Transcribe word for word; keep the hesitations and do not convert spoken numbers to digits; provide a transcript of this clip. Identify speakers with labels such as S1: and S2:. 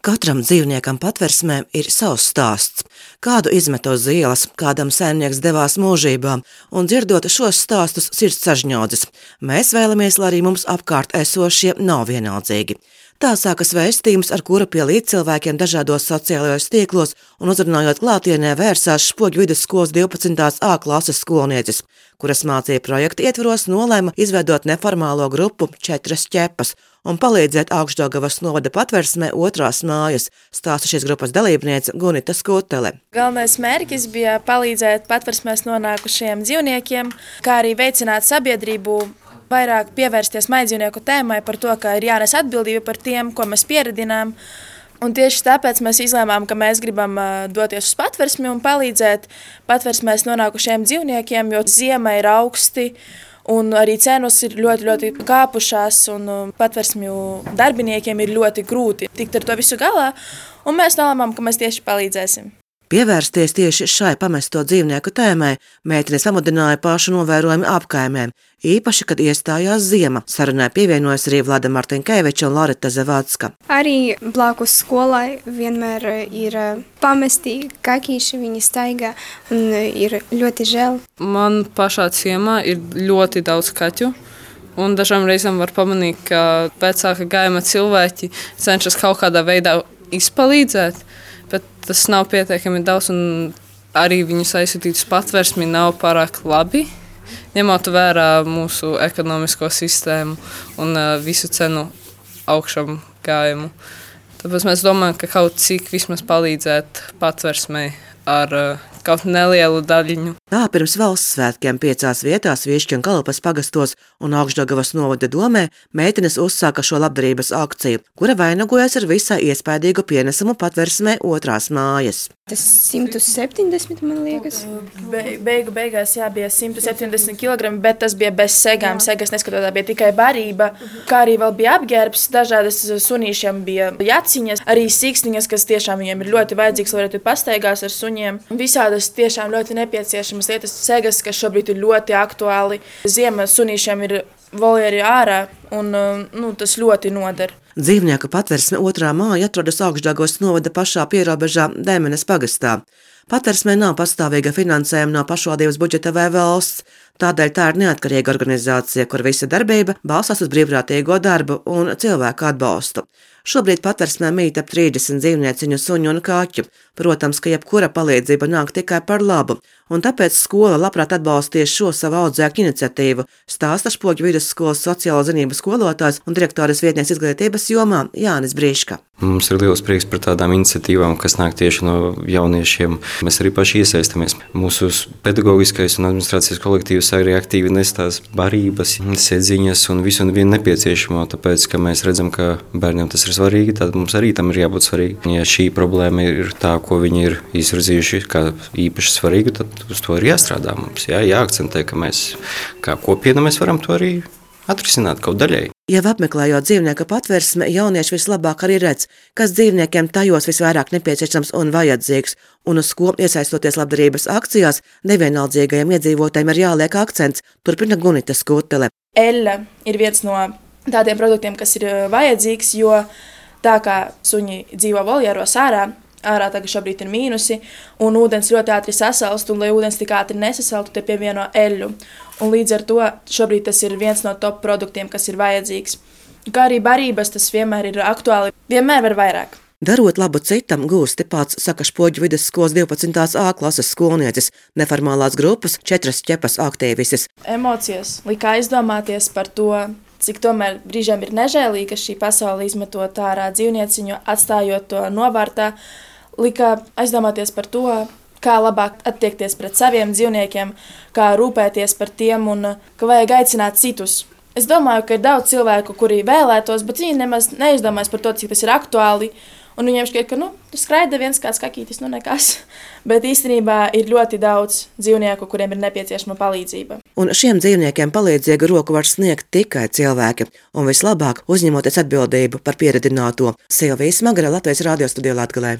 S1: Katram dzīvniekam patversmē ir savs stāsts. Kādu izmeto uz ielas, kādam saimnieks devās mūžībā, un dzirdot šos stāstus sirds sažņaudzis. Mēs vēlamies, lai arī mums apkārt esošie nav vienaldzīgi. Tā sākas vēstījums, ar kura pie līdzcilvēkiem dažādos sociālajos tīklos un uzrunājot klātienē vērsās Špoģu vidusskolas divpadsmitās A klases skolnieces, kuras mācīja projekta ietvaros nolēma izveidot neformālo grupu Četras ķepas un palīdzēt Augšdaugavas novada patversmē Otrās mājas, stāsta šīs grupas dalībniece Gunita Skutele.
S2: Galvenais mērķis bija palīdzēt patversmēs nonākušiem dzīvniekiem, kā arī veicināt sabiedrību, vairāk pievērsties maidzīvnieku tēmai par to, ka ir jānes atbildība par tiem, ko mēs pieredinām. Un tieši tāpēc mēs izlēmām, ka mēs gribam doties uz patversmi un palīdzēt patversmēs nonākušiem dzīvniekiem, jo ziema ir augsti un arī cenas ir ļoti, ļoti kāpušās un patversmju darbiniekiem ir ļoti grūti tikt ar to visu galā. Un mēs nolēmām, ka mēs tieši palīdzēsim.
S1: Pievērsties tieši šai pamesto dzīvnieku tēmai meitenes pamudināja pašu novērojumi apkaimēm, īpaši, kad iestājās ziema. Sarunai pievienojas arī Vlada Martinkeviča un Loreta Zavadska.
S3: Arī blakus skolai vienmēr ir pamesti kakīši, viņi staigā un ir ļoti žēl.
S4: Man pašā ciemā ir ļoti daudz kaķu. Un dažām reizēm var pamanīt, ka vecāka gājuma cilvēki cenšas kaut kādā veidā izpalīdzēt, bet tas nav pietiekami daudz, un arī viņus aizsūtīt uz patversmi nav pārāk labi, ņemot vērā mūsu ekonomisko sistēmu un visu cenu augšam gājumu. Tāpēc mēs domājam, ka kaut cik vismaz palīdzēt patversmei ar kaut nelielu daļiņu.
S1: Tā pirms valsts svētkiem piecās vietās Viešķu un Kalupas pagastos un Augšdaugavas novada domē meitenes uzsāka šo labdarības akciju, kura vainagojas ar visai iespaidīgu pienesumu patversmē Otrās mājas.
S3: Tas simt septiņdesmit, man liekas.
S2: Be, beigu beigās jā, bija simt septiņdesmit kilogrami, bet tas bija bez segām. Jā. Segas neskatot, tā bija tikai barība, kā arī vēl bija apģērbs, dažādas sunīšiem bija jaciņas, arī sīkstiņas, kas tiešām viņiem ir ļoti vajadzīgs, lai varētu pastaigās ar suņiem. Visādas tiešām ļoti nepieciešamas lietas, segas, kas šobrīd ir ļoti aktuāli. Ziema sunīšiem ir voljeri ārā un nu, tas ļoti noder.
S1: Dzīvnieku patversme Otrā māja atrodas Augšdaugavas novada pašā pierobežā Dēmenes pagastā. Patversmē nav pastāvīga finansējuma no pašvaldības budžeta vai valsts, tādēļ tā ir neatkarīga organizācija, kur visa darbība balstās uz brīvprātīgo darbu un cilvēku atbalstu. Šobrīd patversmē mīt ap trīsdesmit dzīvnieciņu, suņu un kaķu. Protams, ka jebkura palīdzība nāk tikai par labu, un tāpēc skola labprāt atbalstīs šo savu audzēkņu iniciatīvu, stāsta Špoģu vidusskolas sociālo zinību skolotājs un direktoras vietnieks izglītības jomā Jānis Brīška.
S5: Mums ir liels prieks par tādām iniciatīvām, kas nāk tieši no jauniešiem. Mēs arī paši iesaistamies. Mūsu pedagoģiskais un administrācijas kolektīvs arī aktīvi nes tās barības, sēdziņas un visu un vienu nepieciešamo, tāpēc, ka mēs redzam, ka bērniem tas ir svarīgi, tad mums arī tam ir jābūt svarīgi. Ja šī problēma ir tā, ko viņi ir izvirzījuši kā īpaši svarīgu, tad uz to ir jāstrādā mums. Jā, jāakcentē, ka mēs kā kopiena mēs varam to arī atrisināt kaut daļēji.
S1: Jau apmeklējot dzīvnieku patversmi, jaunieši vislabāk arī redz, kas dzīvniekiem tajos visvairāk nepieciešams un vajadzīgs, un uz ko iesaistoties labdarības akcijās, nevienaldzīgajiem iedzīvotājiem ir jāliek akcents, turpina Gunita Skutele.
S2: Eļļa ir viens no tādiem produktiem, kas ir vajadzīgs, jo tā kā suņi dzīvo voljeros ārā, ārā tagad šobrīd ir mīnusi, un ūdens ļoti ātri sasalst, un lai ūdens tik ātri nesasaltu, te pievieno eļļu. Un līdz ar to šobrīd tas ir viens no top produktiem, kas ir vajadzīgs. Kā arī barības, tas vienmēr ir aktuāli, vienmēr var vairāk.
S1: Darot labu citam gūsti pats, saka Špoģu vidusskolas divpadsmitās A klases skolnieces, neformālās grupas Četras ķepas aktīvises.
S2: Emocijas lika aizdomāties par to, cik tomēr brīžiem ir nežēlīgi, ka šī pasaule izmetot ārā dzīvnieciņu, atstājot to novārtā, lika aizdomāties par to, kā labāk attiekties pret saviem dzīvniekiem, kā rūpēties par tiem un ka vajag aicināt citus. Es domāju, ka ir daudz cilvēku, kuri vēlētos, bet viņi nemaz neizdomājas par to, cik tas ir aktuāli. Un viņiem šķiet, ka nu, skraida viens kāds kakītis, nu nekas. Bet īstenībā ir ļoti daudz dzīvnieku, kuriem ir nepieciešama palīdzība.
S1: Un šiem dzīvniekiem palīdzīgu roku var sniegt tikai cilvēki, un vislabāk uzņemoties atbildību par pieredināto. Silvija Smagara, Latvijas radio studijā Latgalē.